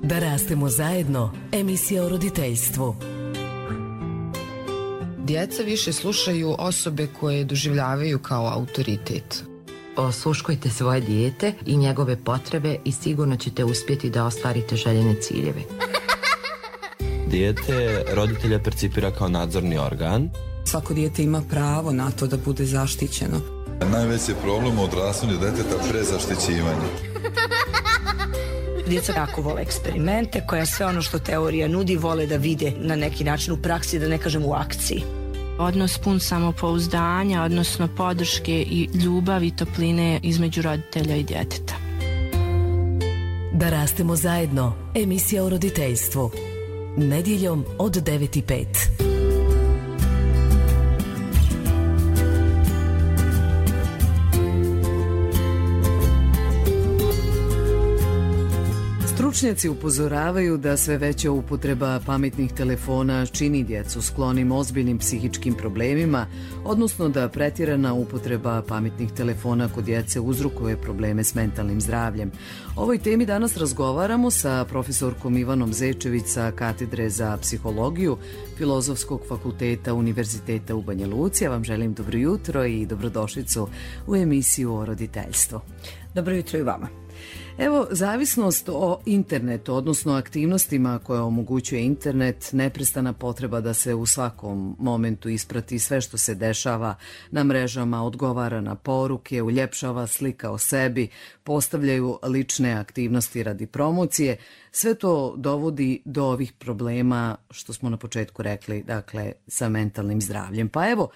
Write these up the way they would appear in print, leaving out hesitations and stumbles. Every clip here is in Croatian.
Da rastemo zajedno, emisija o roditeljstvu. Djeca više slušaju osobe koje doživljavaju kao autoritet. Osluškujte svoje dijete i njegove potrebe i sigurno ćete uspjeti da ostvarite željene ciljeve. Dijete roditelja percipira kao nadzorni organ. Svako dijete ima pravo na to da bude zaštićeno. Najveći je problem u odrastanju djeteta prezaštićivanje. Djeca jako vole eksperimente, koja sve ono što teorija nudi vole da vide na neki način u praksi, da ne kažem u akciji. Odnos pun samopouzdanja, odnosno podrške i ljubavi i topline između roditelja i djeteta. Da rastemo zajedno, emisija o roditeljstvu. Nedjeljom od 9:05. Stručnjaci upozoravaju da sve veća upotreba pametnih telefona čini djecu sklonim ozbiljnim psihičkim problemima, odnosno da pretjerana upotreba pametnih telefona kod djece uzrokuje probleme s mentalnim zdravljem. O ovoj temi danas razgovaramo sa profesorkom Ivanom Zečević sa Katedre za psihologiju Filozofskog fakulteta Univerziteta u Banja Luci. Ja vam želim dobro jutro i dobrodošlicu u emisiju o roditeljstvu. Dobro jutro i vama. Evo, zavisnost o internetu, odnosno aktivnostima koje omogućuje internet, neprestana potreba da se u svakom momentu isprati sve što se dešava na mrežama, odgovara na poruke, uljepšava slika o sebi, postavljaju lične aktivnosti radi promocije, sve to dovodi do ovih problema što smo na početku rekli, dakle, sa mentalnim zdravljem. Pa evo,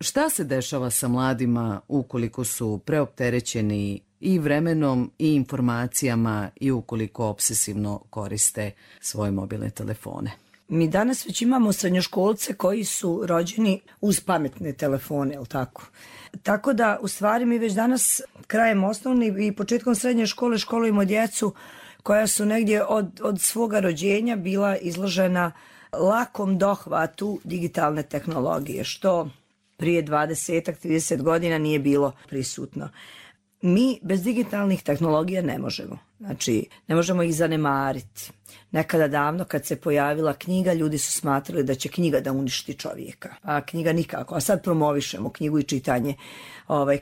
šta se dešava sa mladima ukoliko su preopterećeni i vremenom i informacijama i ukoliko obsesivno koriste svoje mobilne telefone? Mi danas već imamo srednjoškolce koji su rođeni uz pametne telefone, jel tako? Tako da, u stvari, mi već danas krajem osnovne i početkom srednje škole školujemo djecu koja su negdje od svoga rođenja bila izložena lakom dohvatu digitalne tehnologije, što prije 20-30 godina nije bilo prisutno. Mi bez digitalnih tehnologija ne možemo. Znači, ne možemo ih zanemariti. Nekada davno kad se pojavila knjiga, ljudi su smatrali da će knjiga da uništi čovjeka. A knjiga nikako. A sad promovišemo knjigu i čitanje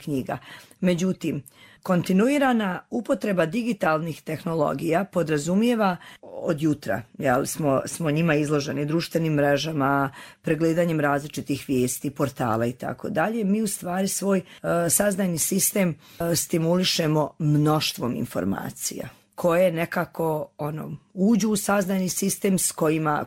knjiga. Međutim, kontinuirana upotreba digitalnih tehnologija podrazumijeva od jutra, smo njima izloženi društvenim mrežama, pregledanjem različitih vijesti, portala i tako dalje. Mi u stvari svoj saznajni sistem stimulišemo mnoštvom informacija koje nekako uđu u saznajni sistem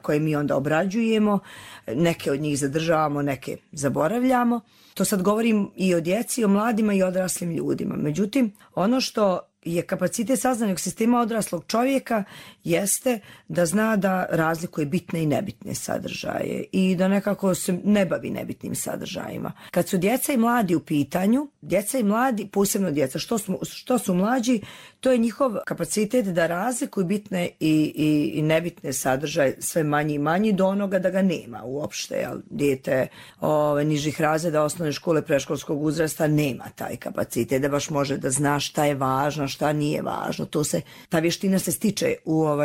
koje mi onda obrađujemo, neke od njih zadržavamo, neke zaboravljamo. To sad govorim i o djeci, i o mladima i odraslim ljudima. Međutim, ono što je kapacitet saznajnog sistema odraslog čovjeka jeste da zna da razlikuje bitne i nebitne sadržaje i da nekako se ne bavi nebitnim sadržajima. Kad su djeca i mladi u pitanju, djeca i mladi, posebno djeca, što su mlađi, to je njihov kapacitet da razlikuju bitne i nebitne sadržaje sve manji i manji do onoga da ga nema uopšte. Dijete nižih razreda osnovne škole predškolskog uzrasta nema taj kapacitet da baš može da zna šta je važno, šta nije važno. Ta vještina se stiče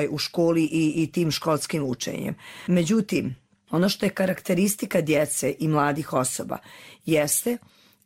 u školi i tim školskim učenjem. Međutim, ono što je karakteristika djece i mladih osoba jeste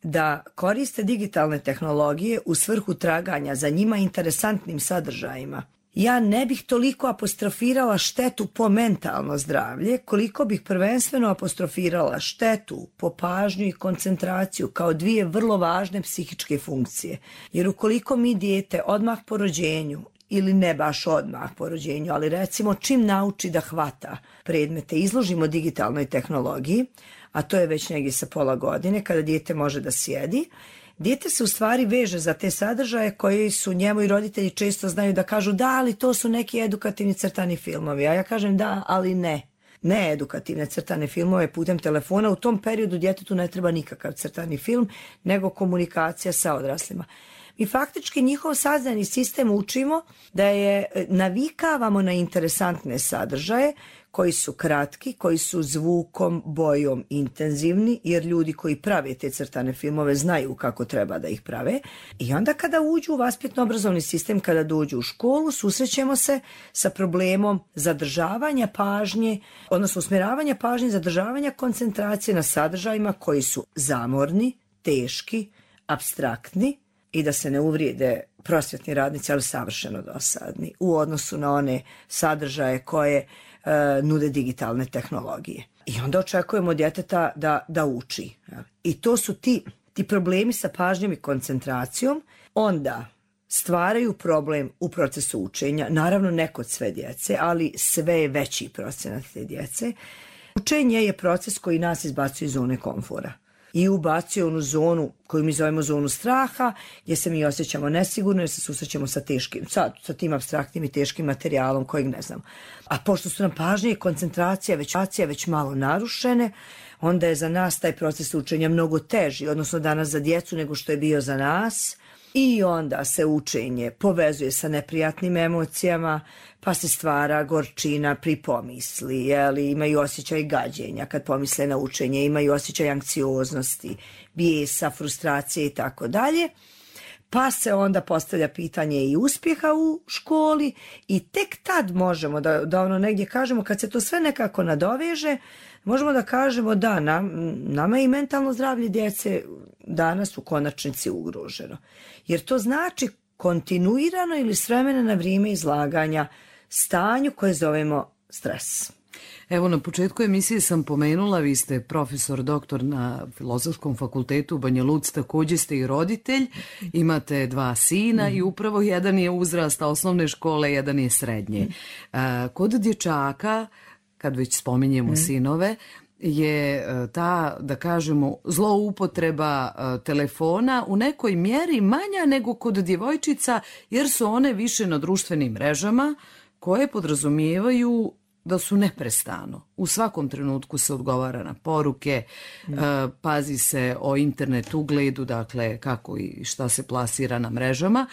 da koriste digitalne tehnologije u svrhu traganja za njima interesantnim sadržajima. Ja ne bih toliko apostrofirala štetu po mentalno zdravlje, koliko bih prvenstveno apostrofirala štetu po pažnju i koncentraciju kao dvije vrlo važne psihičke funkcije. Jer ukoliko mi dijete odmah po rođenju, ili ne baš odmah po rođenju, ali recimo čim nauči da hvata predmete, izložimo digitalnoj tehnologiji, a to je već negdje sa pola godine kada dijete može da sjedi, dijete se u stvari veže za te sadržaje koji su njemu i roditelji često znaju da kažu da, ali to su neki edukativni crtani filmovi, a ja kažem da, ali ne edukativne crtane filmove putem telefona. U tom periodu djetetu ne treba nikakav crtani film, nego komunikacija sa odraslima. Mi faktički njihov saznajni sistem učimo da je navikavamo na interesantne sadržaje koji su kratki, koji su zvukom, bojom intenzivni, jer ljudi koji prave te crtane filmove znaju kako treba da ih prave. I onda kada uđu u vaspitno-obrazovni sistem, kada dođu u školu, susrećemo se sa problemom zadržavanja pažnje, odnosno usmjeravanja pažnje, zadržavanja koncentracije na sadržajima koji su zamorni, teški, apstraktni i da se ne uvrijede prosvjetni radnici, ali savršeno dosadni u odnosu na one sadržaje koje nude digitalne tehnologije. I onda očekujemo od djeteta da uči. I to su ti problemi sa pažnjom i koncentracijom, onda stvaraju problem u procesu učenja, naravno ne kod sve djece, ali sve je veći procenat te djece. Učenje je proces koji nas izbacuje iz zone komfora i ubacuje onu zonu koju mi zovemo zonu straha, gdje se mi osjećamo nesigurno jer se susrećemo sa tim apstraktnim i teškim materijalom kojeg ne znam. A pošto su nam pažnje i koncentracija već malo narušene, onda je za nas taj proces učenja mnogo teži, odnosno danas za djecu nego što je bio za nas. I onda se učenje povezuje sa neprijatnim emocijama, pa se stvara gorčina pri pomisli, imaju osjećaj gađenja kad pomisle na učenje, imaju osjećaj anksioznosti, bijesa, frustracije i tako dalje. Pa se onda postavlja pitanje i uspjeha u školi i tek tad možemo da ono negdje kažemo, kad se to sve nekako nadoveže, možemo da kažemo da nama je i mentalno zdravlje djece danas u konačnici ugroženo. Jer to znači kontinuirano ili s vremena na vrijeme izlaganja stanju koje zovemo stres. Evo, na početku emisije sam pomenula, vi ste profesor doktor na Filozofskom fakultetu u Banja Luci, također ste i roditelj, imate 2 sina i upravo jedan je uzrasta osnovne škole, jedan je srednje. Kod dječaka, kad već spominjemo sinove, je ta, da kažemo, zloupotreba telefona u nekoj mjeri manja nego kod djevojčica, jer su one više na društvenim mrežama koje podrazumijevaju da su neprestano. U svakom trenutku se odgovara na poruke, pazi se o internet ugledu, dakle kako i šta se plasira na mrežama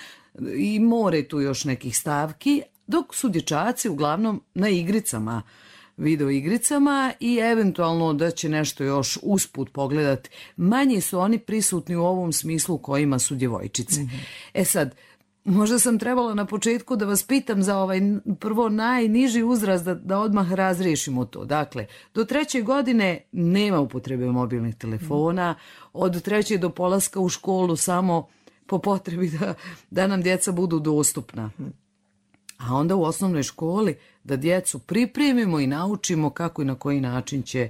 i more tu još nekih stavki, dok su dječaci uglavnom na igricama, video igricama i eventualno da će nešto još usput pogledati. Manje su oni prisutni u ovom smislu u kojima su djevojčice. E sad, možda sam trebala na početku da vas pitam za ovaj prvo najniži uzrast da odmah razriješimo to. Dakle, do 3. godine nema upotrebe mobilnih telefona, od 3. do polaska u školu samo po potrebi da nam djeca budu dostupna. A onda u osnovnoj školi da djecu pripremimo i naučimo kako i na koji način će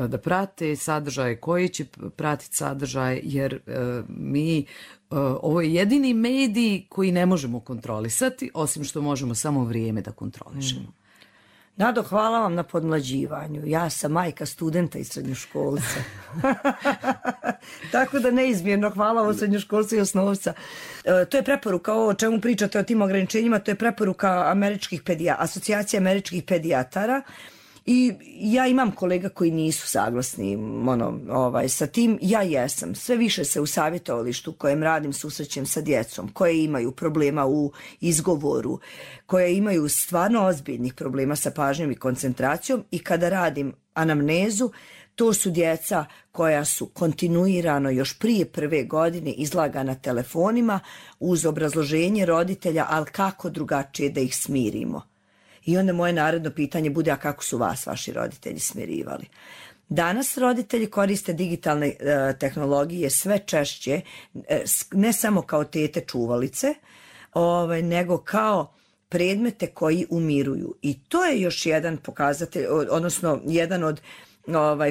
da prate sadržaje, koji će pratiti sadržaje, jer ovo je jedini medij koji ne možemo kontrolisati, osim što možemo samo vrijeme da kontrolišemo. Nado, hvala vam na podmlađivanju. Ja sam majka studenta i srednjoškolca. Tako da neizmjerno hvala vam srednjoškolca i osnovca. To je preporuka, ovo o čemu pričate o tim ograničenjima, to je preporuka asocijacije američkih pedijatara. I ja imam kolega koji nisu saglasni sa tim, ja jesam. Sve više se u savjetovalištu u kojem radim susrećem sa djecom koje imaju problema u izgovoru, koje imaju stvarno ozbiljnih problema sa pažnjom i koncentracijom i kada radim anamnezu, to su djeca koja su kontinuirano još prije 1. godine izlagana telefonima uz obrazloženje roditelja, ali kako drugačije da ih smirimo. I onda moje naredno pitanje bude, a kako su vas vaši roditelji smirivali? Danas roditelji koriste digitalne tehnologije sve češće, ne samo kao tete čuvalice, nego kao predmete koji umiruju. I to je još jedan pokazatelj, odnosno jedan od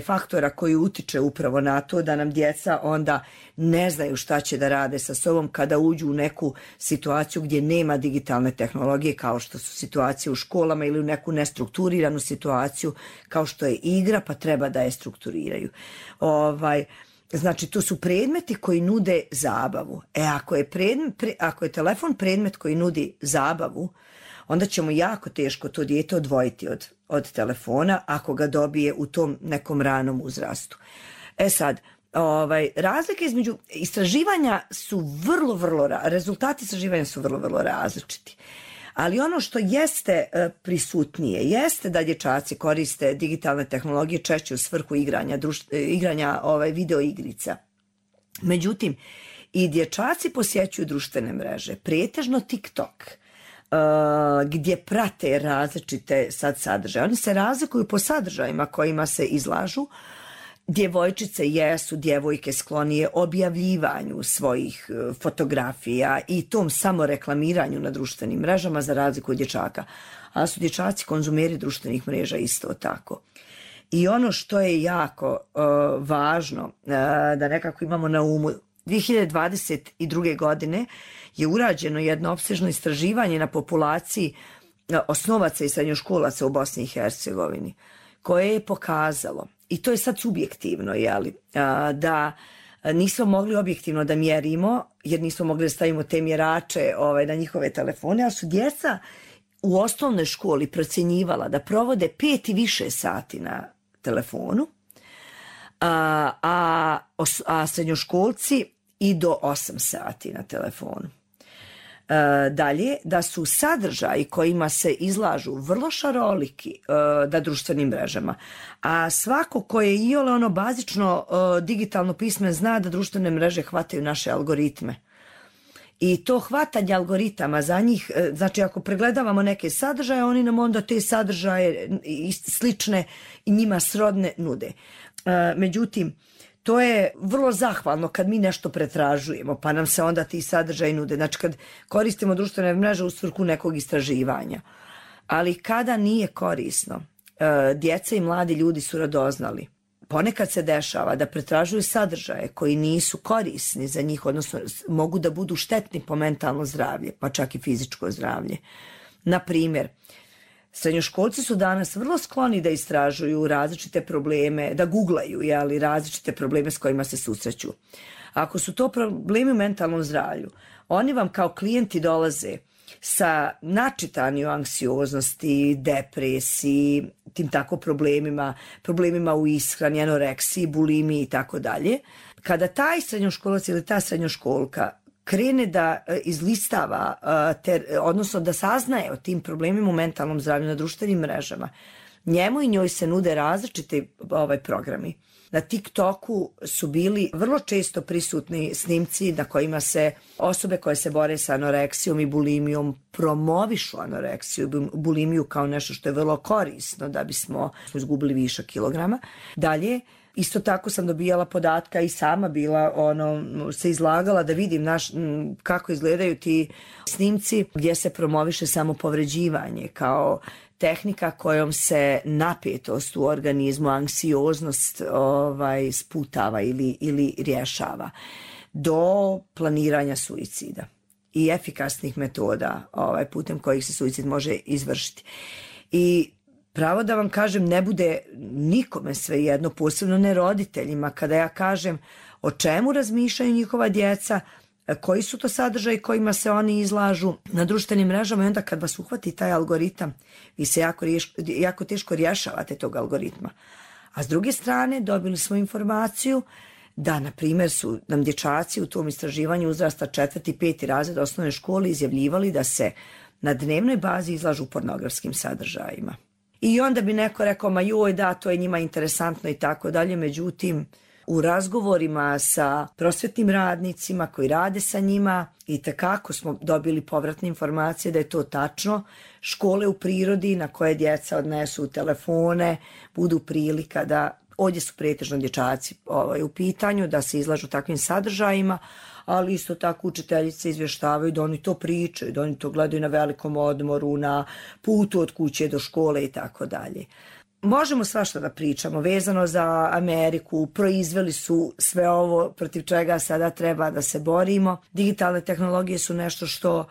faktora koji utiče upravo na to da nam djeca onda ne znaju šta će da rade sa sobom kada uđu u neku situaciju gdje nema digitalne tehnologije, kao što su situacije u školama, ili u neku nestrukturiranu situaciju kao što je igra, pa treba da je strukturiraju. Znači, to su predmeti koji nude zabavu. Ako je telefon predmet koji nudi zabavu, onda ćemo jako teško to dijete odvojiti od telefona ako ga dobije u tom nekom ranom uzrastu. E sad, razlike između istraživanja su rezultati istraživanja su vrlo različiti. Ali ono što jeste prisutnije jeste da dječaci koriste digitalne tehnologije češće u svrhu igranja video igrica. Međutim, i dječaci posjećuju društvene mreže, pretežno TikTok, gdje prate različite sadržaje. Oni se razlikuju po sadržajima kojima se izlažu. Djevojčice jesu djevojke sklonije objavljivanju svojih fotografija i tom samoreklamiranju na društvenim mrežama za razliku od dječaka. A su dječaci konzumeri društvenih mreža isto tako. I ono što je jako važno da nekako imamo na umu, 2022. godine je urađeno jedno opsežno istraživanje na populaciji osnovaca i srednjoškolaca u Bosni i Hercegovini, koje je pokazalo, i to je sad subjektivno, da nismo mogli objektivno da mjerimo, jer nismo mogli da stavimo te mjerače na njihove telefone, ali su djeca u osnovnoj školi procjenjivala da provode 5 i više sati na telefonu, a srednjoškolci i do 8 sati na telefonu. Dalje, da su sadržaji kojima se izlažu vrlo šaroliki na društvenim mrežama, a svako ko je iole bazično digitalno pismen zna da društvene mreže hvataju naše algoritme. I to hvatanje algoritama za njih, znači ako pregledavamo neke sadržaje, oni nam onda te sadržaje slične i njima srodne nude. Međutim, to je vrlo zahvalno kad mi nešto pretražujemo, pa nam se onda ti sadržaji nude. Znači kad koristimo društvene mreže u svrhu nekog istraživanja. Ali kada nije korisno, djeca i mladi ljudi su radoznali. Ponekad se dešava da pretražuju sadržaje koji nisu korisni za njih, odnosno mogu da budu štetni po mentalno zdravlje, pa čak i fizičko zdravlje. Na primjer, srednjoškolci su danas vrlo skloni da istražuju različite probleme, da googlaju različite probleme s kojima se susreću. Ako su to problemi u mentalnom zdravlju, oni vam kao klijenti dolaze sa načitani o anksioznosti, depresiji, tim tako problemima u ishrani, anoreksiji, bulimiji i tako dalje. Kada taj srednjoškolac ili ta srednjoškolka krene da izlistava, odnosno da saznaje o tim problemima u mentalnom zdravlju na društvenim mrežama, njemu i njoj se nude različiti programi. Na TikToku su bili vrlo često prisutni snimci na kojima se osobe koje se bore sa anoreksijom i bulimijom promovišu anoreksiju i bulimiju kao nešto što je vrlo korisno da bismo izgubili višak kilograma. Dalje, isto tako sam dobijala podatka i sama bila se izlagala da vidim kako izgledaju ti snimci gdje se promoviše samopovređivanje kao tehnika kojom se napetost u organizmu, anksioznost sputava ili rješava do planiranja suicida i efikasnih metoda putem kojih se suicid može izvršiti. I pravo da vam kažem, ne bude nikome svejedno, posebno ne roditeljima, kada ja kažem o čemu razmišljaju njihova djeca, koji su to sadržaji kojima se oni izlažu na društvenim mrežama, i onda kad vas uhvati taj algoritam, vi se jako teško rješavate tog algoritma. A s druge strane dobili smo informaciju da, na primjer, su nam dječaci u tom istraživanju uzrasta 4. i 5. razred osnovne škole izjavljivali da se na dnevnoj bazi izlažu pornografskim sadržajima. I onda bi neko rekao, ma joj, da, to je njima interesantno i tako dalje, međutim, u razgovorima sa prosvetnim radnicima koji rade sa njima itekako smo dobili povratne informacije da je to tačno. Škole u prirodi na koje djeca odnesu telefone budu prilika da, ovdje su pretežno dječaci u pitanju, da se izlažu takvim sadržajima, ali isto tako učiteljice izvještavaju da oni to pričaju, da oni to gledaju na velikom odmoru, na putu od kuće do škole i tako dalje. Možemo svašta da pričamo vezano za Ameriku, proizveli su sve ovo protiv čega sada treba da se borimo. Digitalne tehnologije su nešto što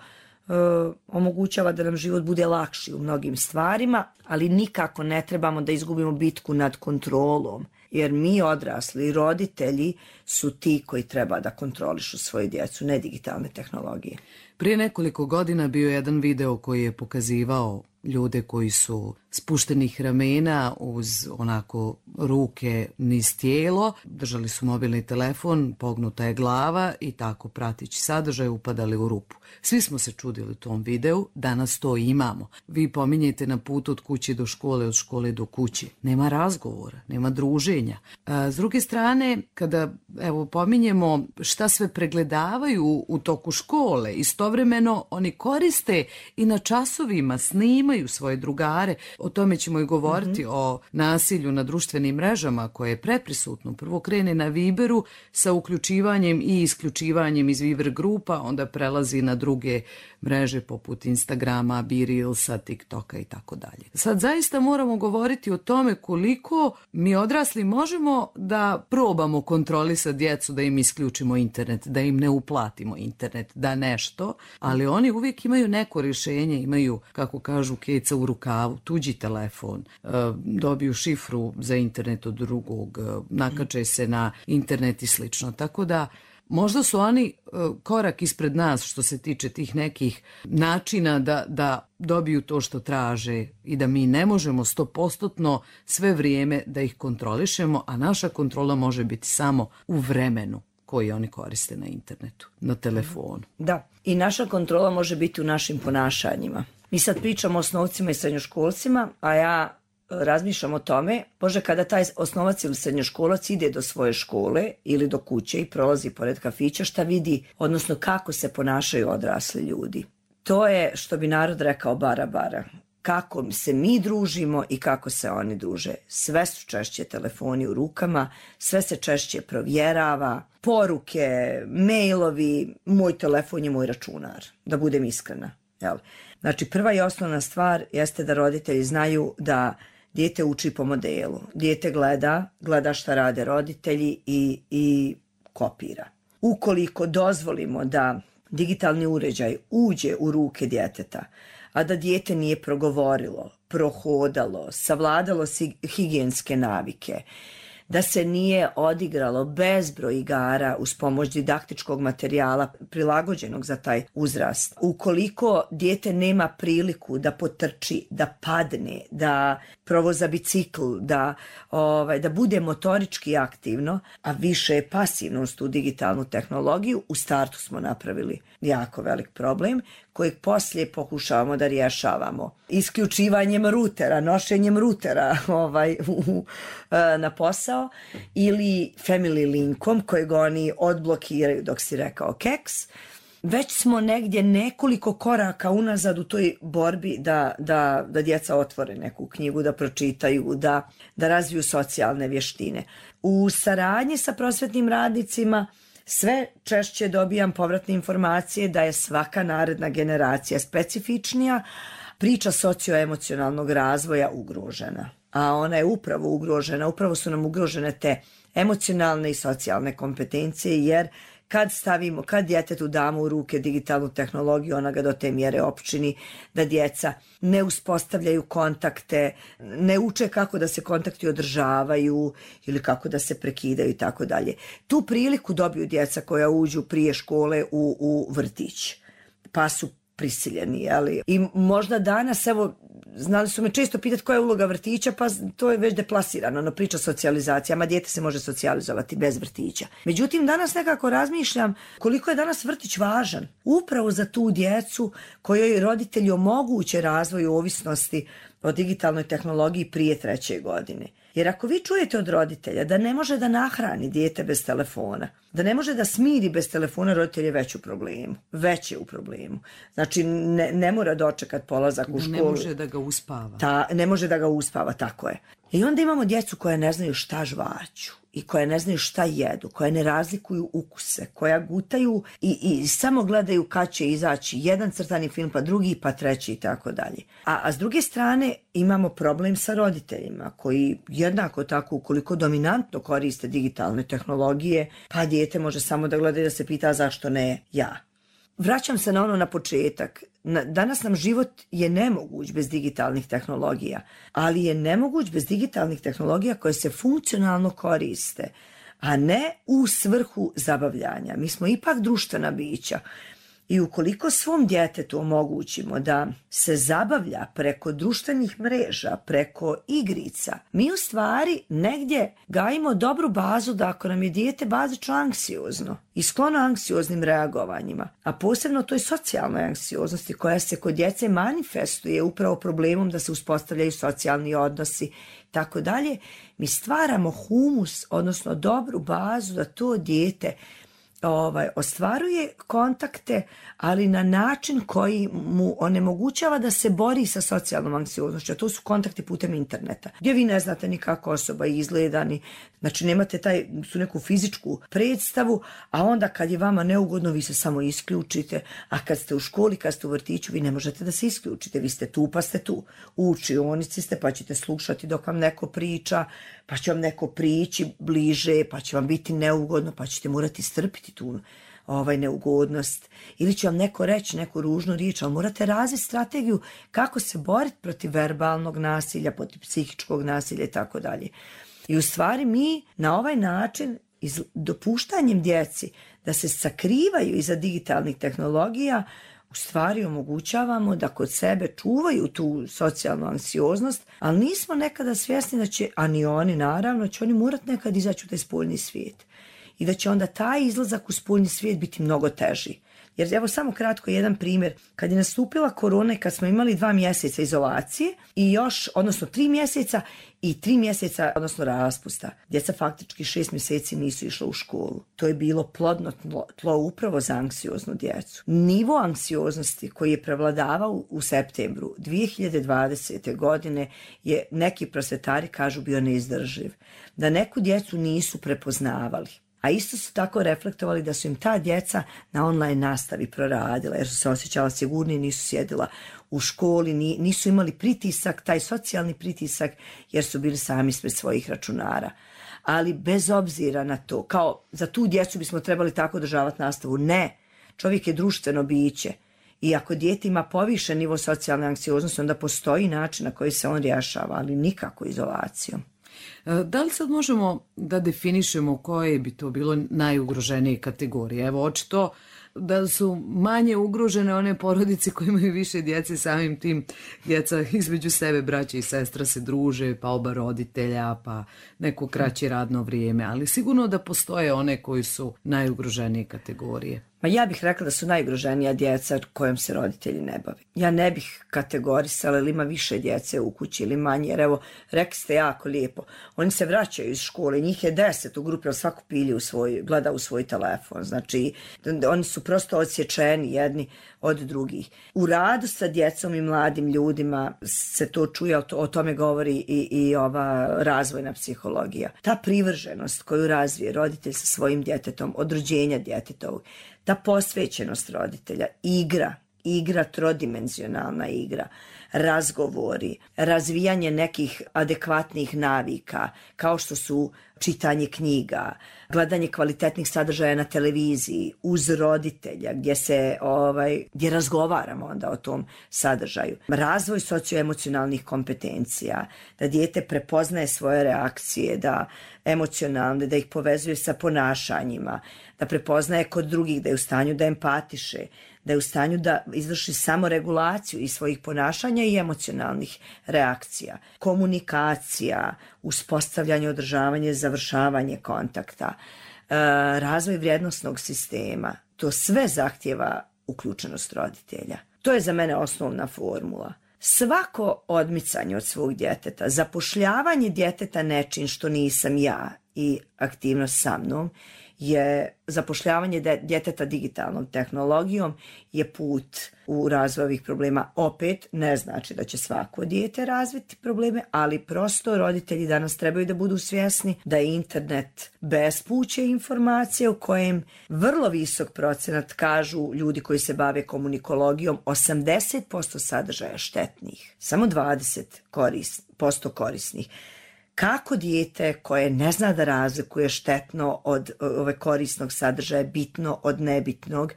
omogućava da nam život bude lakši u mnogim stvarima, ali nikako ne trebamo da izgubimo bitku nad kontrolom, jer mi odrasli roditelji su ti koji treba da kontrolišu svoju djecu, ne digitalne tehnologije. Prije nekoliko godina bio je jedan video koji je pokazivao ljude koji su spuštenih ramena uz onako ruke niz tijelo, držali su mobilni telefon, pognuta je glava i tako prateći sadržaj upadali u rupu. Svi smo se čudili tom videu, danas to imamo. Vi pominjete na putu od kuće do škole, od škole do kuće. Nema razgovora, nema druženja. S druge strane, kada pominjemo šta sve pregledavaju u toku škole, istovremeno oni koriste i na časovima, snimaju svoje drugare. O tome ćemo i govoriti, o nasilju na društvenim mrežama koje je preprisutno. Prvo krene na Viberu sa uključivanjem i isključivanjem iz Viber grupa, onda prelazi na druge mreže poput Instagrama, BeReelsa, TikToka i tako dalje. Sad zaista moramo govoriti o tome koliko mi odrasli možemo da probamo kontrolisati djecu, da im isključimo internet, da im ne uplatimo internet, da nešto, ali oni uvijek imaju neko rješenje, imaju, kako kažu, keca u rukavu, tuđi telefon, dobiju šifru za internet od drugog, nakače se na internet i slično. Tako da možda su oni korak ispred nas što se tiče tih nekih načina da dobiju to što traže i da mi ne možemo 100% sve vrijeme da ih kontrolišemo, a naša kontrola može biti samo u vremenu koji oni koriste na internetu, na telefonu. Da, i naša kontrola može biti u našim ponašanjima. Mi sad pričamo o osnovcima i srednjoškolcima, a ja razmišljam o tome, Bože, kada taj osnovac ili srednjoškolac ide do svoje škole ili do kuće i prolazi pored kafića, šta vidi, odnosno kako se ponašaju odrasli ljudi. To je, što bi narod rekao, bara. Kako se mi družimo i kako se oni druže. Sve su češće telefoni u rukama, sve se češće provjerava, poruke, mailovi, moj telefon je moj računar, da budem iskrena. Jel? Znači, prva i osnovna stvar jeste da roditelji znaju da dijete uči po modelu. Dijete gleda šta rade roditelji i kopira. Ukoliko dozvolimo da digitalni uređaj uđe u ruke djeteta, a da dijete nije progovorilo, prohodalo, savladalo higijenske navike, da se nije odigralo bezbroj igara uz pomoć didaktičkog materijala prilagođenog za taj uzrast. Ukoliko dijete nema priliku da potrči, da padne, da provoza bicikl, da bude motorički aktivno, a više je pasivnost u digitalnu tehnologiju, u startu smo napravili jako velik problem kojeg poslije pokušavamo da rješavamo. Isključivanjem rutera, nošenjem rutera na posao ili family linkom kojeg oni odblokiraju dok si rekao keks. Već smo negdje nekoliko koraka unazad u toj borbi da djeca otvore neku knjigu, da pročitaju, da razviju socijalne vještine. U saradnji sa prosvetnim radnicima sve češće dobijam povratne informacije da je svaka naredna generacija specifičnija, priča socioemocionalnog razvoja ugrožena. A ona je upravo ugrožena, upravo su nam ugrožene te emocionalne i socijalne kompetencije, jer kad djetetu damo u ruke digitalnu tehnologiju, ona ga do te mjere opčini da djeca ne uspostavljaju kontakte, ne uče kako da se kontakti održavaju ili kako da se prekidaju i tako dalje. Tu priliku dobiju djeca koja uđu prije škole u vrtić, pa su prisiljeni, ali i možda danas, evo, znali su me često pitati koja je uloga vrtića, pa to je već deplasirano, priča socijalizacija, ma dijete se može socijalizovati bez vrtića. Međutim, danas nekako razmišljam koliko je danas vrtić važan upravo za tu djecu kojoj roditelji omoguće razvoj ovisnosti o digitalnoj tehnologiji prije 3. godine. Jer ako vi čujete od roditelja da ne može da nahrani dijete bez telefona, da ne može da smiri bez telefona, roditelj je već u problemu. Znači, ne mora dočekat polazak u školu. Ne može da ga uspava. Ne može da ga uspava, tako je. I onda imamo djecu koja ne znaju šta žvaću i koja ne znaju šta jedu, koja ne razlikuju ukuse, koja gutaju i samo gledaju kad će izaći jedan crtani film, pa drugi, pa treći i tako dalje. A s druge strane imamo problem sa roditeljima koji jednako tako, ukoliko dominantno koriste digitalne tehnologije, pa dijete može samo da gleda i da se pita zašto ne ja. Vraćam se na početak. Danas nam život je nemoguć bez digitalnih tehnologija, ali je nemoguć bez digitalnih tehnologija koje se funkcionalno koriste, a ne u svrhu zabavljanja. Mi smo ipak društvena bića I ukoliko svom djetetu omogućimo da se zabavlja preko društvenih mreža, preko igrica, mi u stvari negdje gajimo dobru bazu da ako nam je dijete bazično anksiozno i sklono anksioznim reagovanjima, a posebno toj socijalnoj anksioznosti koja se kod djece manifestuje upravo problemom da se uspostavljaju socijalni odnosi, tako dalje, mi stvaramo humus, odnosno dobru bazu da to dijete ostvaruje kontakte, ali na način koji mu onemogućava da se bori sa socijalnom anksioznošću, a to su kontakti putem interneta, gdje vi ne znate ni kako osoba izgleda, znači nemate tu neku fizičku predstavu, a onda kad je vama neugodno vi se samo isključite, a kad ste u školi, kad ste u vrtiću, vi ne možete da se isključite, vi ste tu pa ste tu, u učionici ste pa ćete slušati dok vam neko priča, pa će vam neko prići bliže, pa će vam biti neugodno, pa ćete morati strpiti tu neugodnost, ili će vam neko reći neku ružnu riječ, ali morate razviti strategiju kako se boriti protiv verbalnog nasilja, protiv psihičkog nasilja i tako dalje. I u stvari mi na ovaj način, dopuštanjem djeci da se sakrivaju iza digitalnih tehnologija, u stvari omogućavamo da kod sebe čuvaju tu socijalnu anksioznost, ali nismo nekada svjesni da će, a ni oni naravno, će oni morati nekad izaći u taj spoljni svijet. I da će onda taj izlazak u spoljni svijet biti mnogo teži. Jer evo samo kratko jedan primjer. Kad je nastupila korona i kad smo imali 2 mjeseca izolacije i još, odnosno 3 mjeseca i 3 mjeseca, odnosno raspusta, djeca faktički 6 mjeseci nisu išla u školu. To je bilo plodno tlo upravo za anksioznu djecu. Nivo anksioznosti koji je prevladavao u septembru 2020. godine je, neki prosvjetari kažu, bio neizdrživ. Da neku djecu nisu prepoznavali. A isto su tako reflektovali da su im ta djeca na online nastavi proradila, jer su se osjećala sigurnije, nisu sjedila u školi, nisu imali pritisak, taj socijalni pritisak, jer su bili sami ispred svojih računara. Ali bez obzira na to, kao za tu djecu bismo trebali tako održavati nastavu, ne, čovjek je društveno biće. I ako dijete ima povišen nivo socijalne anksioznosti, onda postoji način na koji se on rješava, ali nikako izolacijom. Da li sad možemo da definišemo koje bi to bilo najugroženije kategorije? Evo, očito da su manje ugrožene one porodice koje imaju više djece, samim tim djeca između sebe, braća i sestra se druže, pa oba roditelja, pa neko kraće radno vrijeme, ali sigurno da postoje one koji su najugroženije kategorije. Ma ja bih rekla da su najugroženija djeca kojom se roditelji ne bave. Ja ne bih kategorisala ili ima više djece u kući ili manje, jer evo, rekli ste jako lijepo, oni se vraćaju iz škole, njih je 10 u grupi, ali svako gleda u svoj telefon, znači oni su prosto odsječeni jedni od drugih. U radu sa djecom i mladim ljudima se to čuje, o tome govori i ova razvojna psihologija. Ta privrženost koju razvije roditelj sa svojim djetetom, od rođenja djetetovog, ta posvećenost roditelja, igra trodimenzionalna igra, razgovori, razvijanje nekih adekvatnih navika, kao što su čitanje knjiga, gledanje kvalitetnih sadržaja na televiziji, uz roditelja, gdje razgovaramo onda o tom sadržaju. Razvoj socioemocionalnih kompetencija, da dijete prepoznaje svoje reakcije, da emocionalne, da ih povezuje sa ponašanjima, da prepoznaje kod drugih, da je u stanju da empatiše, da je u stanju da izvrši samoregulaciju i svojih ponašanja i emocionalnih reakcija. Komunikacija, uspostavljanje, održavanje, završavanje kontakta, razvoj vrijednosnog sistema, to sve zahtjeva uključenost roditelja. To je za mene osnovna formula. Svako odmicanje od svog djeteta, zapošljavanje djeteta nečim što nisam ja i aktivnost sa mnom, je zapošljavanje djeteta digitalnom tehnologijom je put u razvoj ovih problema. Opet ne znači da će svako dijete razviti probleme, ali prosto roditelji danas trebaju da budu svjesni da je internet bespuće informacije u kojem vrlo visok procenat, kažu ljudi koji se bave komunikologijom, 80% sadržaja štetnih, samo 20% korisnih. Kako dijete koje ne zna da razlikuje štetno od korisnog sadržaja, bitno od nebitnog,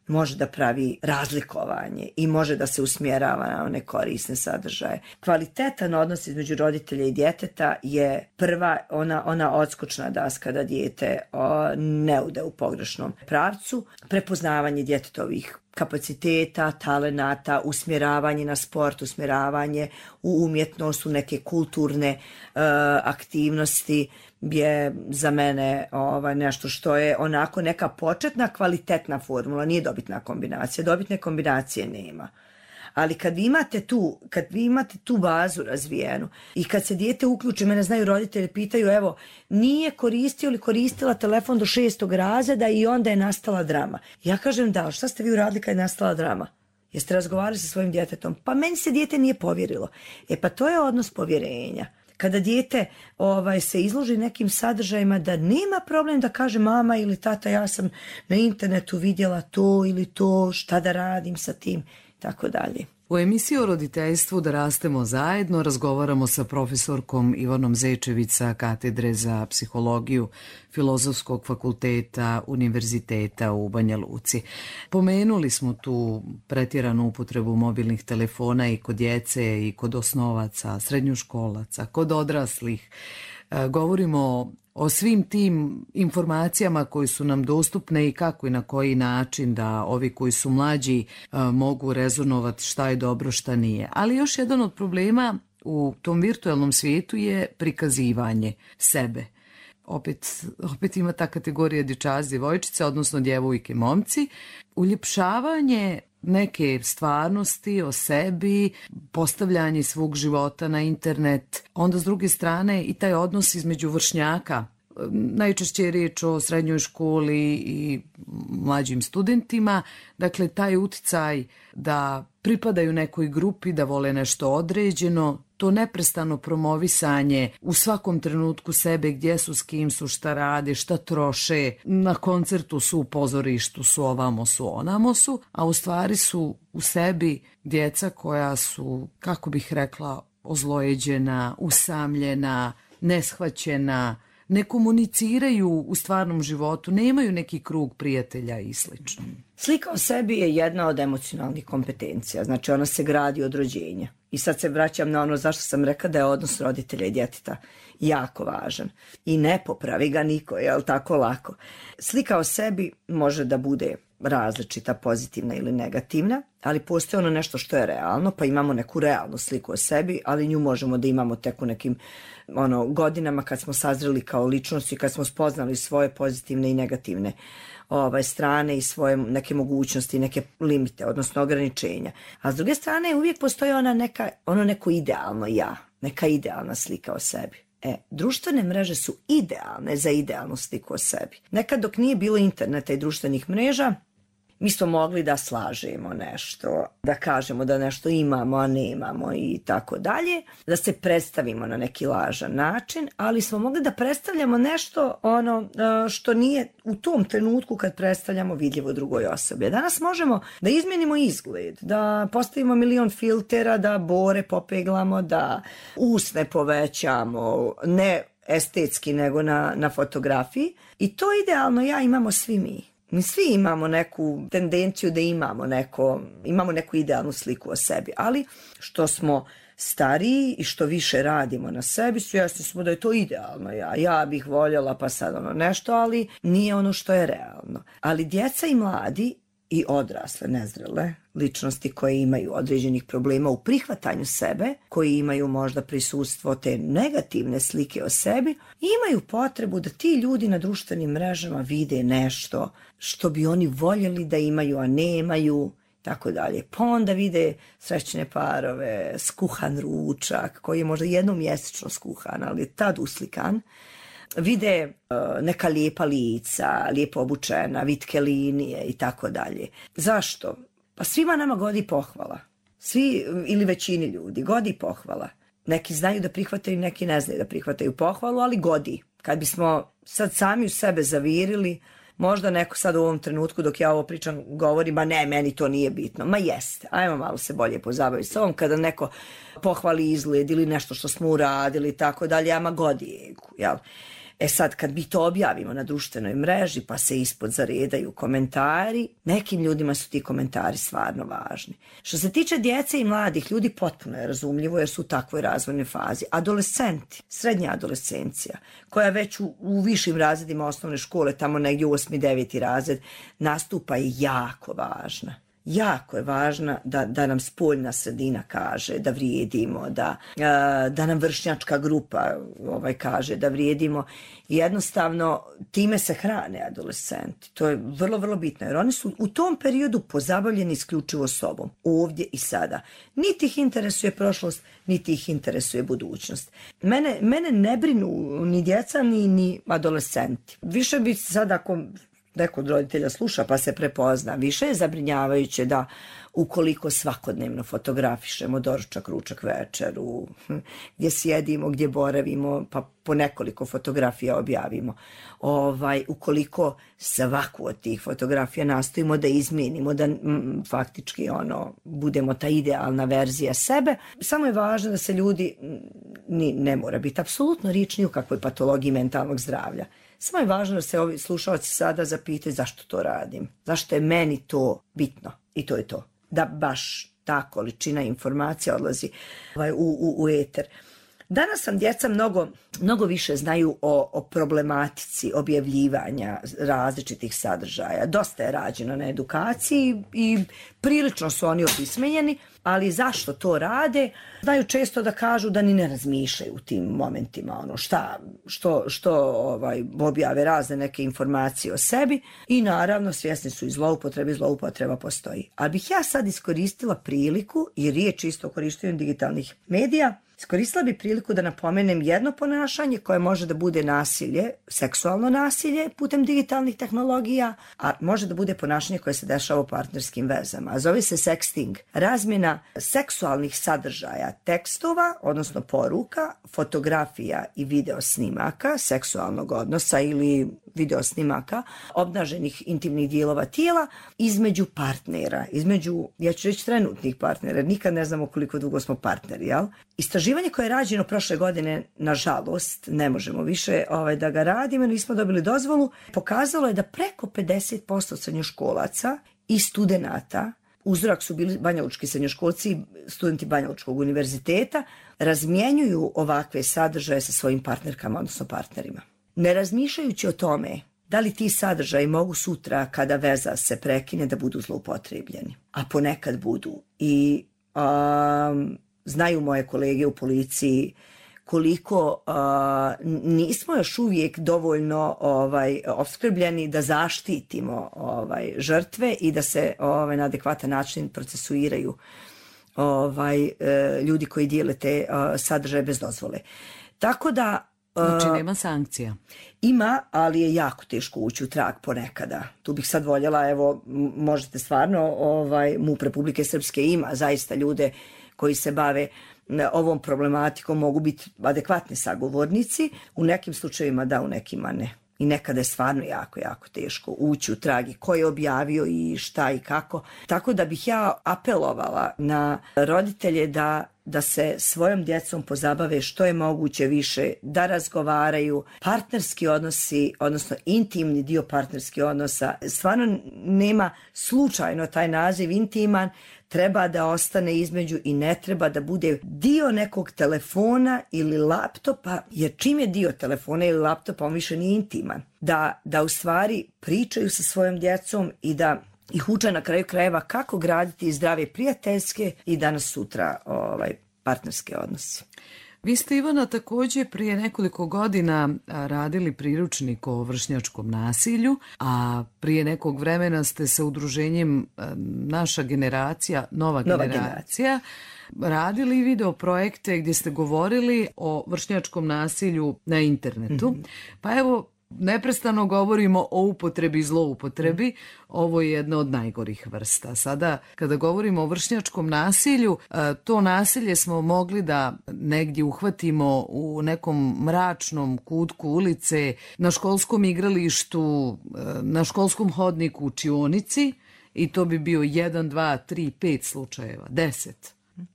može da pravi razlikovanje i može da se usmjerava na one korisne sadržaje. Kvalitetan odnos između roditelja i djeteta je prva ona odskočna daska da dijete ne ude u pogrešnom pravcu. Prepoznavanje djetetovih kapaciteta, talenata, usmjeravanje na sport, usmjeravanje u umjetnost, u neke kulturne aktivnosti je za mene nešto što je onako neka početna kvalitetna formula, nije dobitna kombinacija, dobitne kombinacije nema. Ali kad vi imate tu bazu razvijenu i kad se dijete uključi, mene znaju roditelji, pitaju, evo, nije koristio ili koristila telefon do 6. razreda i onda je nastala drama. Ja kažem, da, šta ste vi uradili kad je nastala drama? Jeste razgovarali sa svojim djetetom? Pa meni se dijete nije povjerilo. Pa to je odnos povjerenja. Kada dijete se izloži nekim sadržajima, da nema problem da kaže mama ili tata, ja sam na internetu vidjela to ili to, šta da radim sa tim, tako dalje. U emisiji o roditeljstvu Da rastemo zajedno razgovaramo sa profesorkom Ivanom Zečević sa Katedre za psihologiju Filozofskog fakulteta Univerziteta u Banja Luci. Pomenuli smo tu pretjeranu upotrebu mobilnih telefona i kod djece i kod osnovaca, srednjoškolaca, kod odraslih. Govorimo o svim tim informacijama koji su nam dostupne i kako i na koji način da ovi koji su mlađi mogu rezonovati šta je dobro, šta nije. Ali još jedan od problema u tom virtualnom svijetu je prikazivanje sebe. Opet ima ta kategorija dječaci, djevojčice, odnosno djevojke, momci. Uljepšavanje neke stvarnosti o sebi, postavljanje svog života na internet, onda s druge strane i taj odnos između vršnjaka. Najčešće je riječ o srednjoj školi i mlađim studentima, dakle taj uticaj da pripadaju nekoj grupi, da vole nešto određeno, to neprestano promovisanje u svakom trenutku sebe, gdje su, s kim su, šta rade, šta troše, na koncertu su, u pozorištu su, ovamo su, onamo su, a u stvari su u sebi djeca koja su, kako bih rekla, ozlojeđena, usamljena, neshvaćena, ne komuniciraju u stvarnom životu, nemaju neki krug prijatelja i slično. Slika o sebi je jedna od emocionalnih kompetencija, znači ona se gradi od rođenja. I sad se vraćam na ono zašto sam rekla da je odnos roditelja i djeteta jako važan. I ne popravi ga niko, jel tako lako. Slika o sebi može da bude različita, pozitivna ili negativna, ali postoji ono nešto što je realno, pa imamo neku realnu sliku o sebi, ali nju možemo da imamo tek u nekim godinama kad smo sazreli kao ličnost i kad smo spoznali svoje pozitivne i negativne strane i svoje neke mogućnosti, neke limite, odnosno ograničenja. A s druge strane uvijek postoji ono neko idealno ja, neka idealna slika o sebi. Društvene mreže su idealne za idealnu sliku o sebi. Nekad dok nije bilo interneta i društvenih mreža, mi smo mogli da slažemo nešto, da kažemo da nešto imamo, a nemamo i tako dalje, da se predstavimo na neki lažan način, ali smo mogli da predstavljamo nešto što nije u tom trenutku kad predstavljamo vidljivo drugoj osobi. Danas možemo da izmijenimo izgled, da postavimo milion filtera, da bore popeglamo, da usne povećamo, ne estetski nego na fotografiji. I to idealno imamo svi mi. Mi svi imamo neku tendenciju da imamo neku idealnu sliku o sebi, ali što smo stariji i što više radimo na sebi, svjesni smo da je to idealno. Ja bih voljela pa sad nešto, ali nije ono što je realno. Ali djeca i mladi i odrasle, nezrele ličnosti koje imaju određenih problema u prihvatanju sebe, koji imaju možda prisustvo te negativne slike o sebi, imaju potrebu da ti ljudi na društvenim mrežama vide nešto što bi oni voljeli da imaju, a nemaju, tako dalje. Pa onda vide srećne parove, skuhan ručak, koji je možda jednom mjesečno skuhan, ali je tad uslikan. Vide neka lijepa lica, lijepo obučena, vitke linije i tako dalje. Zašto? Pa svima nama godi pohvala. Svi ili većini ljudi godi pohvala. Neki znaju da prihvataju, neki ne znaju da prihvataju pohvalu, ali godi. Kad bismo sad sami u sebe zavirili, možda neko sad u ovom trenutku dok ja ovo pričam govori, ma ne, meni to nije bitno. Ma jeste, ajmo malo se bolje pozabaviti s ovom kada neko pohvali izgled ili nešto što smo uradili i tako dalje, ama godi egu, jel? Sad kad mi to objavimo na društvenoj mreži pa se ispod zaredaju komentari, nekim ljudima su ti komentari stvarno važni. Što se tiče djece i mladih ljudi, potpuno je razumljivo jer su u takvoj razvojnoj fazi. Adolescenti, srednja adolescencija, koja već u višim razredima osnovne škole, tamo negdje u 8. 9. razred, nastupa je jako važna. jako je važna da nam spoljna sredina kaže da vrijedimo, da nam vršnjačka grupa kaže da vrijedimo. Jednostavno, time se hrane adolescenti. To je vrlo, vrlo bitno, jer oni su u tom periodu pozabavljeni isključivo sobom, ovdje i sada. Niti ih interesuje prošlost, niti ih interesuje budućnost. Mene ne brinu ni djeca, ni adolescenti. Više bi sad, ako neko od roditelja sluša pa se prepozna, više je zabrinjavajuće da ukoliko svakodnevno fotografišemo doručak, ručak, večeru, gdje sjedimo, gdje boravimo, pa po nekoliko fotografija objavimo. Ukoliko svaku od tih fotografija nastojimo da izmijenimo, da faktički budemo ta idealna verzija sebe, samo je važno da se ljudi, ne mora biti apsolutno riječ ni u kakvoj patologiji mentalnog zdravlja. Samo je važno da se ovi slušalci sada zapitaju zašto to radim, zašto je meni to bitno i to je to. Da baš ta količina informacija odlazi u eter. Danas nam djeca mnogo više znaju o problematici objavljivanja različitih sadržaja. Dosta je rađeno na edukaciji i prilično su oni opismenjeni, ali zašto to rade? Znaju često da kažu da ni ne razmišljaju u tim momentima, što objave razne neke informacije o sebi i naravno svjesni su i zloupotreba postoji. Ali bih ja sad iskoristila priliku, i riječ isto o korištenju digitalnih medija, iskoristila bi priliku da napomenem jedno ponašanje koje može da bude nasilje, seksualno nasilje putem digitalnih tehnologija, a može da bude ponašanje koje se dešava u partnerskim vezama. A zove se sexting. Razmjena seksualnih sadržaja, tekstova, odnosno poruka, fotografija i video snimaka seksualnog odnosa ili video snimaka obnaženih intimnih dijelova tijela između partnera, ja ću reći trenutnih partnera, nikad ne znamo koliko dugo smo partneri, jel? Istraživanje koje je rađeno prošle godine, nažalost, ne možemo više da ga radimo, nismo dobili dozvolu, pokazalo je da preko 50% srednjoškolaca i studenata, uzorak su bili banjalučki srednjoškolci i studenti Banjalučkog univerziteta, razmjenjuju ovakve sadržaje sa svojim partnerkama, odnosno partnerima. Ne razmišljajući o tome da li ti sadržaji mogu sutra, kada veza se prekine, da budu zloupotrebljeni. A ponekad budu. I znaju moje kolege u policiji koliko nismo još uvijek dovoljno opskrbljeni da zaštitimo žrtve i da se na adekvatan način procesuiraju ljudi koji dijele te sadržaje bez dozvole. Tako da znači nema sankcija. Ima, ali je jako teško ući u trag ponekada. Tu bih sad voljela, evo, možete stvarno, MUP Republike Srpske ima zaista ljude koji se bave ovom problematikom, mogu biti adekvatni sagovornici. U nekim slučajevima da, u nekima ne. I nekada je stvarno jako, jako teško ući u trag i ko je objavio i šta i kako. Tako da bih ja apelovala na roditelje da se svojom djecom pozabave što je moguće više, da razgovaraju. Partnerski odnosi, odnosno intimni dio partnerskih odnosa, stvarno nema slučajno taj naziv intiman, treba da ostane između i ne treba da bude dio nekog telefona ili laptopa, jer čim je dio telefona ili laptopa, on više nije intiman. Da u stvari pričaju sa svojom djecom i da ih uče na kraju krajeva kako graditi zdrave prijateljske i danas sutra partnerske odnose. Vi ste, Ivana, također prije nekoliko godina radili priručnik o vršnjačkom nasilju, a prije nekog vremena ste sa udruženjem Naša generacija, Nova generacija, radili video projekte gdje ste govorili o vršnjačkom nasilju na internetu. Mm-hmm. Pa evo, neprestano govorimo o upotrebi i zloupotrebi. Ovo je jedna od najgorih vrsta. Sada, kada govorimo o vršnjačkom nasilju, to nasilje smo mogli da negdje uhvatimo u nekom mračnom kutku ulice, na školskom igralištu, na školskom hodniku, učionici, i to bi bio 1, 2, 3, 5 slučajeva, 10.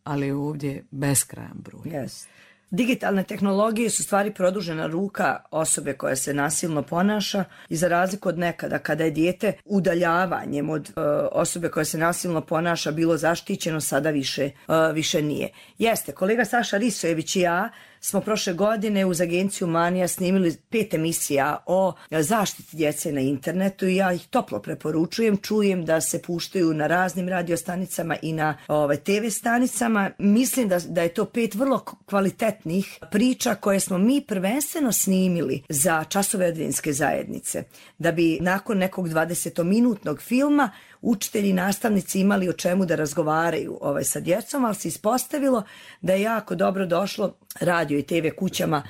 Ali ovdje beskrajan broj. Yes. Digitalne tehnologije su stvari produžena ruka osobe koja se nasilno ponaša i za razliku od nekada kada je dijete udaljavanjem od osobe koja se nasilno ponaša bilo zaštićeno, sada više nije. Jeste, kolega Saša Risojević i ja smo prošle godine uz agenciju Manija snimili 5 emisija o zaštiti djece na internetu i ja ih toplo preporučujem. Čujem da se puštaju na raznim radiostanicama i na TV stanicama. Mislim da je to 5 vrlo kvalitetnih priča koje smo mi prvenstveno snimili za časove adventske zajednice. Da bi nakon nekog 20-minutnog filma učitelji i nastavnici imali o čemu da razgovaraju sa djecom, ali se ispostavilo da je jako dobro došlo radio i TV kućama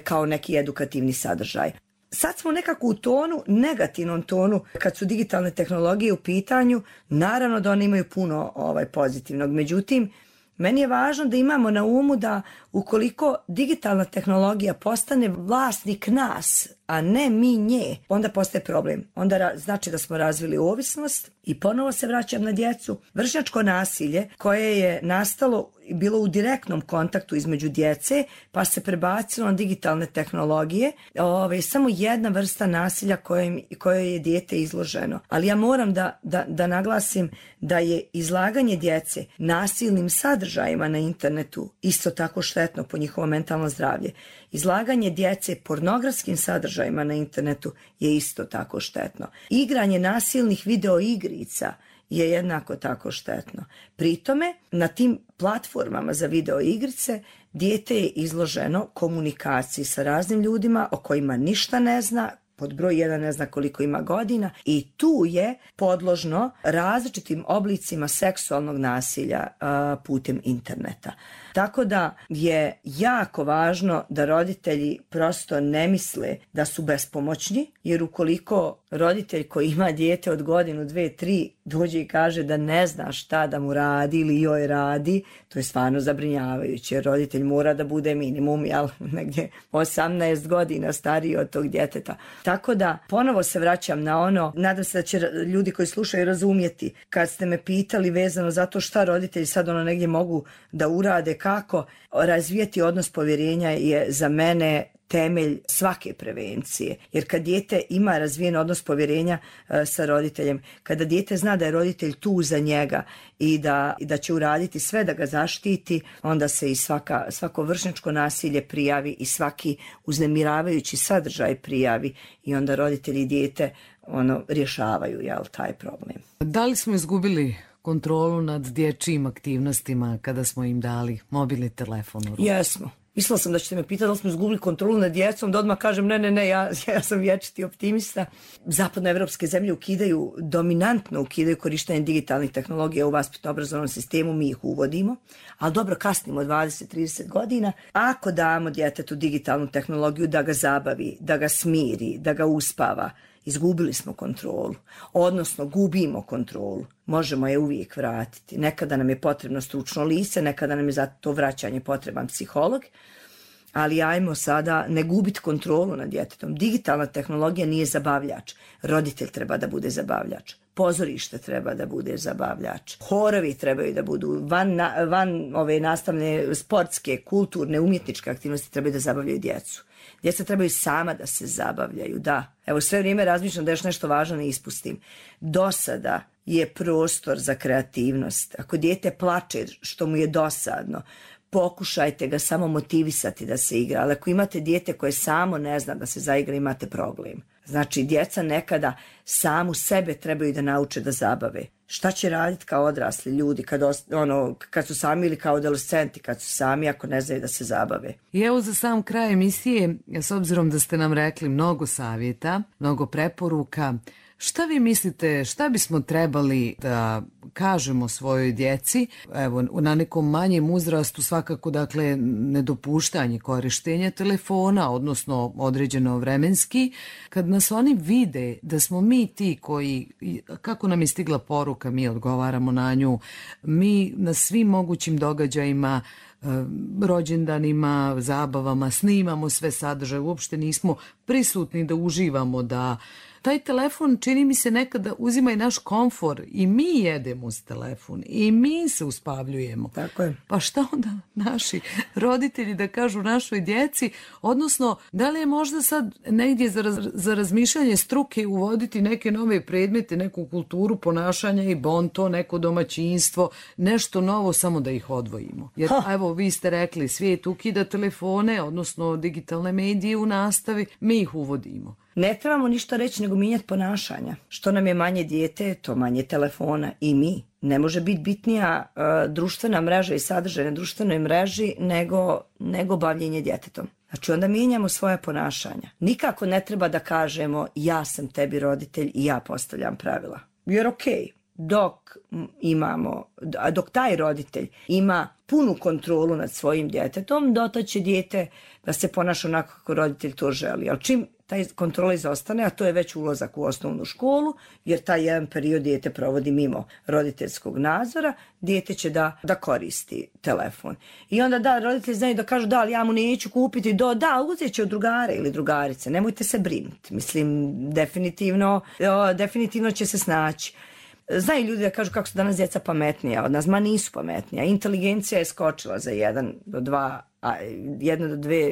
kao neki edukativni sadržaj. Sad smo nekako u tonu, negativnom tonu, kad su digitalne tehnologije u pitanju, naravno da one imaju puno pozitivnog. Međutim, meni je važno da imamo na umu da ukoliko digitalna tehnologija postane vlasnik nas, a ne mi nje, onda postaje problem. Onda znači da smo razvili ovisnost i ponovo se vraćam na djecu. Vršnjačko nasilje koje je nastalo bilo u direktnom kontaktu između djece, pa se prebacilo na digitalne tehnologije, samo jedna vrsta nasilja kojoj je dijete izloženo. Ali ja moram da naglasim da je izlaganje djece nasilnim sadržajima na internetu isto tako štetno po njihovo mentalno zdravlje. Izlaganje djece pornografskim sadržajima na internetu je isto tako štetno. Igranje nasilnih video igrica je jednako tako štetno. Pritome, na tim platformama za video igrice dijete je izloženo komunikaciji sa raznim ljudima o kojima ništa ne zna, pod broj 1 ne zna koliko ima godina i tu je podložno različitim oblicima seksualnog nasilja putem interneta. Tako da je jako važno da roditelji prosto ne misle da su bespomoćni, jer ukoliko roditelj koji ima dijete od godinu, 2, 3 dođe i kaže da ne zna šta da mu radi ili joj radi, to je stvarno zabrinjavajuće, jer roditelj mora da bude minimum, negdje 18 godina stariji od tog djeteta. Tako da ponovo se vraćam na ono, nadam se da će ljudi koji slušaju razumjeti, kad ste me pitali vezano za to šta roditelji sad negdje mogu da urade, kako razvijati odnos povjerenja je za mene temelj svake prevencije. Jer kad dijete ima razvijen odnos povjerenja sa roditeljem, kada dijete zna da je roditelj tu za njega i da će uraditi sve da ga zaštiti, onda se i svako vršnjačko nasilje prijavi i svaki uznemiravajući sadržaj prijavi i onda roditelji i dijete rješavaju taj problem. Da li smo izgubili kontrolu nad dječjim aktivnostima kada smo im dali mobilni telefon u ruku? Jesmo. Mislila sam da ćete me pitati da li smo izgubili kontrolu nad djecom, da odmah kažem ne, ja sam vječiti optimista. Zapadnoevropske zemlje dominantno ukidaju korištenje digitalnih tehnologija u vaspitno-obrazovnom sistemu, mi ih uvodimo, ali dobro, kasnimo 20-30 godina. Ako damo djetetu digitalnu tehnologiju da ga zabavi, da ga smiri, da ga uspava, izgubili smo kontrolu, odnosno gubimo kontrolu. Možemo je uvijek vratiti. Nekada nam je potrebno stručno lice, nekada nam je za to vraćanje potreban psiholog, ali ajmo sada ne gubiti kontrolu nad djetetom. Digitalna tehnologija nije zabavljač. Roditelj treba da bude zabavljač. Pozorište treba da bude zabavljač. Horovi trebaju da budu van ove nastavne, sportske, kulturne, umjetničke aktivnosti trebaju da zabavljaju djecu. Djeca trebaju sama da se zabavljaju, da. Evo, sve vrijeme razmišljam da još nešto važno ne ispustim. Do sada je prostor za kreativnost. Ako dijete plače što mu je dosadno, pokušajte ga samo motivisati da se igra. Ali ako imate dijete koje samo ne zna da se zaigra, imate problem. Znači, djeca nekada samu sebe trebaju da nauče da zabave. Šta će raditi kao odrasli ljudi kad su sami ili kao adolescenti kad su sami ako ne znaju da se zabave? I evo za sam kraj emisije, s obzirom da ste nam rekli mnogo savjeta, mnogo preporuka, šta vi mislite, šta bismo trebali da kažemo svojoj djeci, evo na nekom manjem uzrastu svakako, dakle, nedopuštanje korištenja telefona, odnosno određeno vremenski, kad nas oni vide da smo mi ti koji, kako nam je stigla poruka, mi odgovaramo na nju, mi na svim mogućim događajima, rođendanima, zabavama, snimamo sve sadržaje, uopšte nismo prisutni da uživamo, da taj telefon čini mi se nekada uzima i naš komfor i mi jedemo uz telefon i mi se uspavljujemo. Tako je. Pa šta onda naši roditelji da kažu našoj djeci, odnosno da li je možda sad negdje za razmišljanje struke uvoditi neke nove predmete, neku kulturu ponašanja i bonto, neko domaćinstvo, nešto novo, samo da ih odvojimo. Jer evo vi ste rekli, svijet ukida telefone, odnosno digitalne medije u nastavi, mi ih uvodimo. Ne trebamo ništa reći nego mijenjati ponašanja. Što nam je manje dijete, to manje telefona i mi. Ne može biti bitnija društvena mreža i sadržaj na društvenoj mreži nego bavljenje djetetom. Znači onda mijenjamo svoje ponašanja. Nikako ne treba da kažemo ja sam tebi roditelj i ja postavljam pravila. Jer okej. Dok taj roditelj ima punu kontrolu nad svojim djetetom, dotaće dijete da se ponaša onako kako roditelj to želi. Ali čim taj kontrola izostane, a to je već ulazak u osnovnu školu, jer taj jedan period dijete provodi mimo roditeljskog nadzora, dijete će da koristi telefon. I onda roditelji znaju da kažu ali ja mu neću kupiti, uzet će od drugara ili drugarice, nemojte se brinuti. Mislim, definitivno će se snaći. Znaju ljudi da kažu kako su danas djeca pametnija od nas, ma nisu pametnija. Inteligencija je skočila za 1 do 2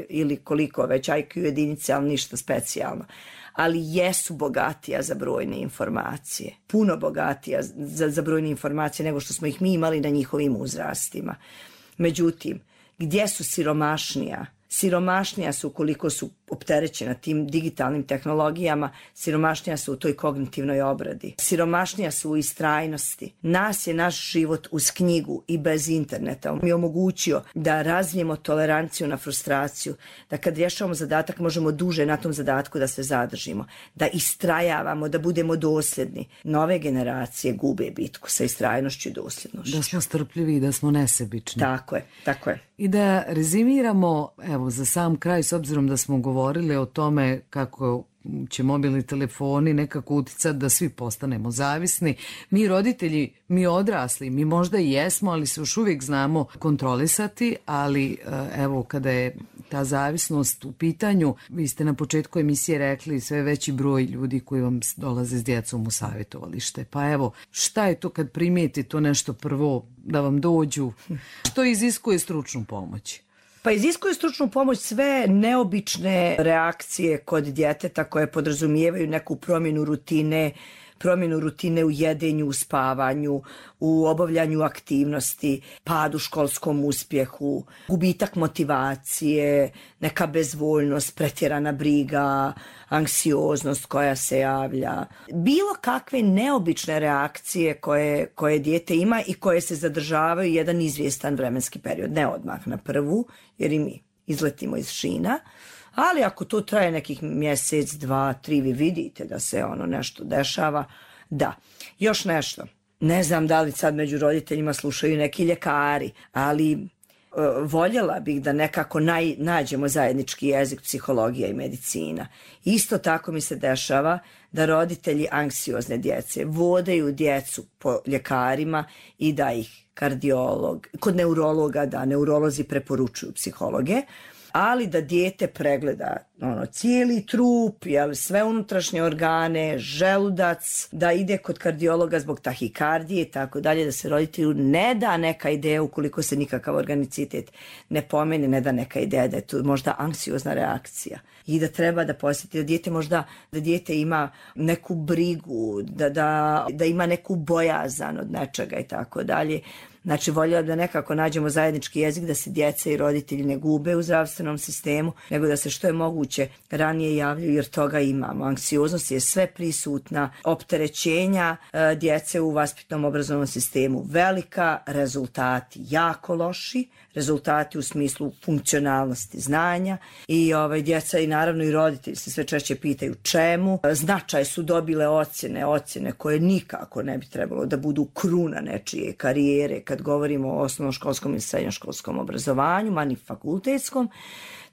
ili koliko već IQ jedinice, ali ništa specijalno. Ali jesu bogatija za brojne informacije. Puno bogatija za brojne informacije nego što smo ih mi imali na njihovim uzrastima. Međutim, gdje su siromašnija? Siromašnija su ukoliko su opterećena tim digitalnim tehnologijama, siromašnija su u toj kognitivnoj obradi. Siromašnija su u istrajnosti. Nas je naš život uz knjigu i bez interneta mi je omogućio da razvijemo toleranciju na frustraciju, da kad rješavamo zadatak možemo duže na tom zadatku da se zadržimo, da istrajavamo, da budemo dosljedni. Nove generacije gube bitku sa istrajnošću i dosljednošću. Da smo strpljivi i da smo nesebični. Tako je. I da rezimiramo, evo za sam kraj, s obzirom da smo govorili o tome kako će mobilni telefoni nekako uticati da svi postanemo zavisni. Mi roditelji, mi odrasli, mi možda i jesmo, ali se još uvijek znamo kontrolisati, ali evo kada je ta zavisnost u pitanju, vi ste na početku emisije rekli sve veći broj ljudi koji vam dolaze s djecom u savjetovalište. Pa evo, šta je to kad primijeti to nešto prvo da vam dođu? Što iziskuje stručnu pomoć? Pa iziskuje stručnu pomoć sve neobične reakcije kod djeteta koje podrazumijevaju neku promjenu rutine u jedenju, u spavanju, u obavljanju aktivnosti, pad u školskom uspjehu, gubitak motivacije, neka bezvoljnost, pretjerana briga, anksioznost koja se javlja. Bilo kakve neobične reakcije koje dijete ima i koje se zadržavaju jedan izvjestan vremenski period. Ne odmah na prvu, jer i mi izletimo iz šina. Ali ako to traje nekih mjesec, 2, 3, vi vidite da se nešto dešava. Da, još nešto. Ne znam da li sad među roditeljima slušaju neki ljekari, ali voljela bih da nekako nađemo zajednički jezik psihologija i medicina. Isto tako mi se dešava da roditelji anksiozne djece vodaju djecu po ljekarima i da ih kardiolog, kod neurologa, da neurolozi preporučuju psihologe, ali da dijete pregleda cijeli trup, sve unutrašnje organe, želudac, da ide kod kardiologa zbog tahikardije i tako dalje, da se roditelju ne da neka ideja ukoliko se nikakav organicitet ne pomeni, ne da neka ideja da je tu možda anksiozna reakcija i da treba da posjeti da dijete ima neku brigu, da ima neku bojazan od nečega i tako dalje. Znači, voljela da nekako nađemo zajednički jezik, da se djeca i roditelji ne gube u zdravstvenom sistemu, nego da se što je moguće ranije javljaju, jer toga imamo. Anksioznost je sve prisutna, opterećenja djece u vaspitnom obrazovnom sistemu velika, rezultati jako loši, rezultati u smislu funkcionalnosti znanja i djeca i naravno i roditelji se sve češće pitaju čemu. Značaj su dobile ocjene koje nikako ne bi trebalo da budu kruna nečije karijere kad govorimo o osnovnoškolskom i srednjoškolskom obrazovanju, ma ni fakultetskom.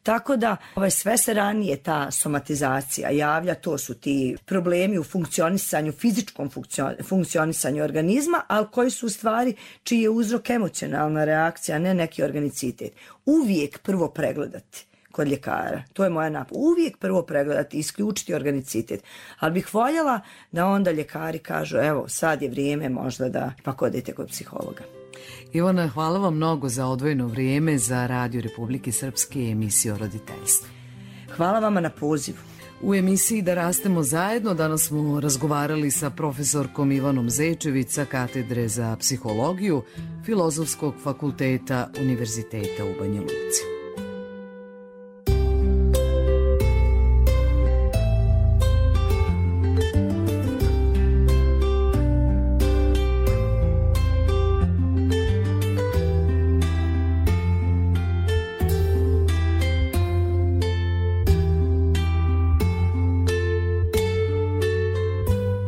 Tako da sve se ranije ta somatizacija javlja, to su ti problemi u funkcionisanju, fizičkom funkcionisanju organizma, ali koji su u stvari čiji je uzrok emocionalna reakcija, a ne neki organicitet. Uvijek prvo pregledati kod ljekara. To je moja napad. Uvijek prvo pregledati, isključiti organicitet. Ali bih voljela da onda ljekari kažu, evo, sad je vrijeme možda da pak odete kod psihologa. Ivana, hvala vam mnogo za odvojeno vrijeme za Radio Republike Srpske i emisiju o roditeljstvu. Hvala vama na pozivu. U emisiji Da rastemo zajedno danas smo razgovarali sa profesorkom Ivanom Zečević sa Katedre za psihologiju Filozofskog fakulteta Univerziteta u Banja Luci.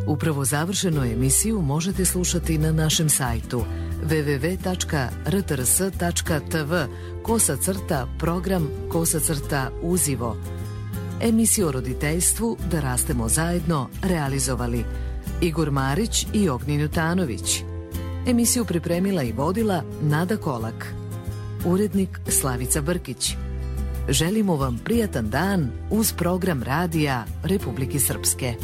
Upravo završenu emisiju možete slušati na našem sajtu www.rtrs.tv/program/uzivo. Emisiju o roditeljstvu Da rastemo zajedno realizovali Igor Marić i Ognjen Jutanović. Emisiju pripremila i vodila Nada Kolak. Urednik Slavica Brkić. Želimo vam prijatan dan uz program Radija Republike Srpske.